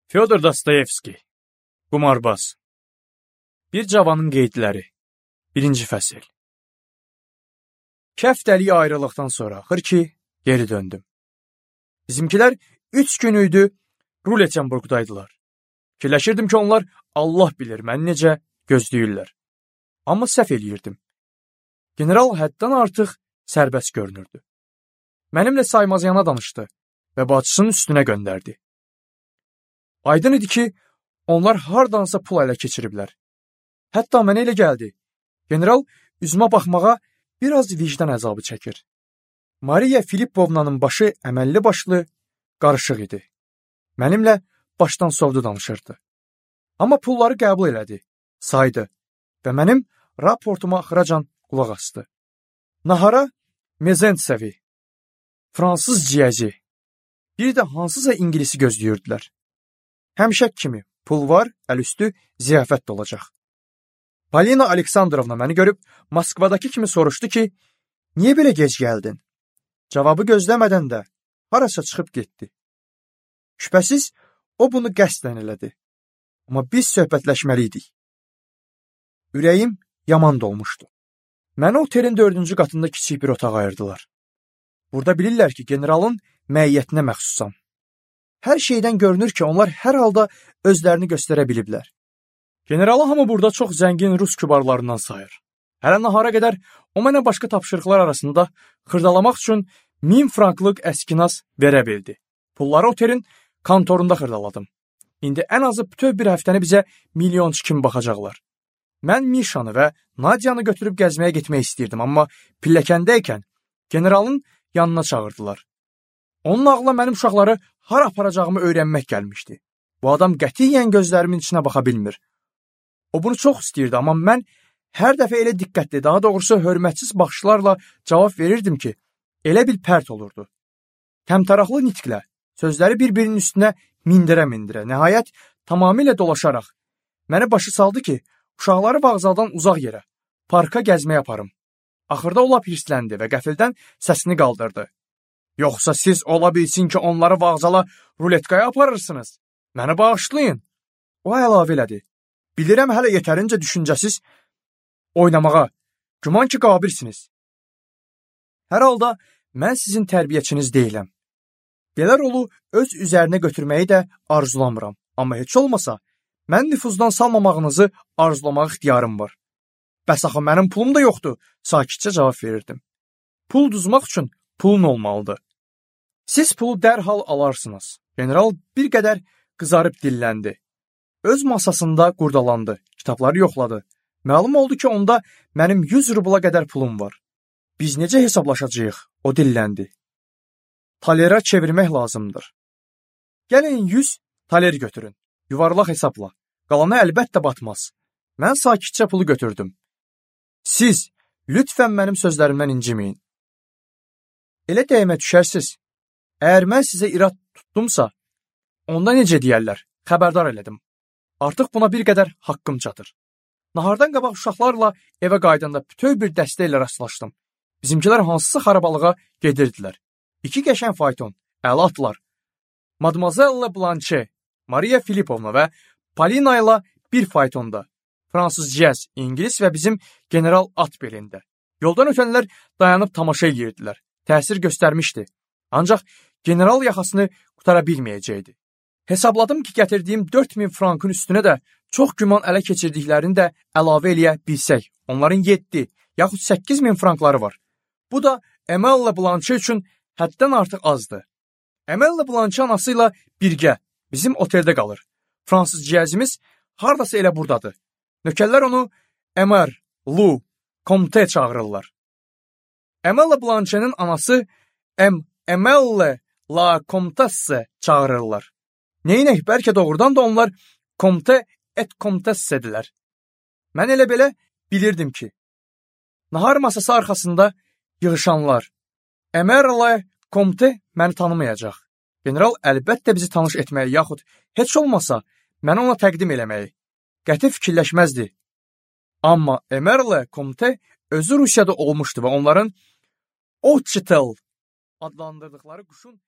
Fyodor Dostoyevski, Qumarbaz. Bir cavanın qeydləri. 1-ci fəsil. 2 həftəlik ayrılıqdan sonra axır ki, geri döndüm. Bizimkilər 3 gün idi Rulettenburgdaydılar. Fikirləşirdim ki, onlar Allah bilir məni necə gözləyirlər. Amma səhv eləyirdim. General həddən artıq sərbəst görünürdü. Mənimlə saymazcana danışdı və bacısının üstünə göndərdi. Aydın idi ki, onlar hardansa pul ələ keçiriblər. Hətta mənə elə gəldi. General üzümə baxmağa biraz vicdan əzabı çəkir. Mariya Filippovnanın başı əməlli başlı qarışıq idi. Mənimlə başdan sovdu danışırdı. Amma pulları qəbul elədi, saydı və mənim raportuma axıracan qulaq asdı. Nahara Mezentsevi, fransız ciyəzi, bir də hansısa ingilisi gözləyirdilər. Həmişək kimi pul var, əlüstü ziyafət də olacaq. Polina Aleksandrovna məni görüb Moskvadakı kimi soruşdu ki, niyə belə gec gəldin? Cavabı gözləmədən də harasa çıxıb getdi. Şübhəsiz, o bunu qəsdən elədi. Amma biz söhbətləşməliydik. Ürəyim yaman dolmuşdu. Məni otelin 4-cü qatında kiçik bir otaq ayırdılar. Burada bilirlər ki, generalın məiyyətinə məxsusam. Hər şeydən görünür ki, onlar hər halda özlərini göstərə biliblər. Generalı hamı burada çox zəngin rus kübarlarından sayır. Hələ nahara qədər o mənə başqa tapşırıqlar arasında xırdalamaq üçün 1000 franklıq əskinas verə bildi. Pulları otelin kontorunda xırdaladım. İndi ən azı bütöv bir həftəni bizə milyonçu kimi baxacaqlar. Mən Mişanı və Nadiyanı götürüb gəzməyə getmək istəyirdim, amma pilləkəndəykən generalın yanına çağırdılar. Onun ağlına mənim uşaqları hara aparacağımı öyrənmək gəlmişdi. Bu adam qətiyyən gözlərimin içinə baxa bilmir. O bunu çox istəyirdi, amma mən hər dəfə elə diqqətli, daha doğrusu hörmətsiz baxışlarla cavab verirdim ki, elə bil pərt olurdu. Təmtəraqlı nitqlə, sözləri bir-birinin üstünə mindirə-mindirə, nəhayət tamamilə dolaşaraq məni başı saldı ki, uşaqları vağzaldan uzaq yerə, parka gəzməyə aparım. Axırda o lap hirsləndi və qəfildən səsini qaldırdı. Yoxsa siz ola bilsin ki, onları vağzala ruletkaya aparırsınız. Məni bağışlayın. O əlavə elədi. Bilirəm hələ yetərincə düşüncəsiz oynamağa, güman ki, qabilsiniz. Hər halda mən sizin tərbiyəçiniz deyiləm. Belə rolu öz üzərinə götürməyi də arzulamıram. Amma heç olmasa, mən nüfuzdan salmamağınızı arzulamaq ixtiyarım var. Bəs axı mənim pulum da yoxdur, sakitcə cavab verirdim. Pul düzmək üçün pulun olmalıdır. Siz pulu dərhal alarsınız. General bir qədər qızarıb dilləndi. Öz masasında qurdalandı, kitabları yoxladı. Məlum oldu ki, onda mənim 100 rubla qədər pulum var. Biz necə hesablaşacağıq? O dilləndi. Talera çevirmək lazımdır. Gəlin 100 taler götürün. Yuvarlaq hesabla. Qalanı əlbəttə batmaz. Mən sakitcə pulu götürdüm. Siz lütfən mənim sözlərimdən inciməyin. Elə dəymə düşərsiz. Əgər mən sizə irad tutdumsa, onda necə deyərlər? Xəbərdar elədim. Artıq buna bir qədər haqqım çatır. Nahardan qabaq uşaqlarla evə qaydanda bütöv bir dəstə ilə rastlaşdım. Bizimkilər hansısa xarabalığa gedirdilər. 2 qəşəng fayton, əla atlar. Mademoiselle Blanche, Mariya Filippovna və Polina ilə bir faytonda. Fransız ciyəz, ingilis və bizim general at belində. Yoldan ötənlər dayanıb tamaşa edirdilər. Təsir göstərmişdi. Ancaq general yaxasını qutara bilməyəcəkdi. Hesabladım ki, gətirdiyim 4000 frankın üstünə də çox güman ələ keçirdiklərini də əlavə eləyə bilsək. Onların 7, yaxud 8000 frankları var. Bu da Emelle Blanche üçün həddən artıq azdır. Emelle Blanche anası ilə birgə bizim oteldə qalır. Fransız ciyəzimiz hardasa elə buradadır. Nökərlər onu Emer, Lou, Comte çağırırlar. Emelle Blanche'nin anası Emelle la Comtesse çağırırlar. Neynək, bəlkə doğrudan da onlar Comte et Comtesse'dilər. Mən elə belə bilirdim ki, nahar masası arxasında yığışanlar Emerle Comte məni tanımayacaq. General əlbəttə bizi tanış etməyi, yaxud heç olmasa məni ona təqdim eləməyi qəti fikirləşməzdi. Amma Emerle Comte özü Rusiyada olmuşdu və onların Otchitel adlandırdıqları quşun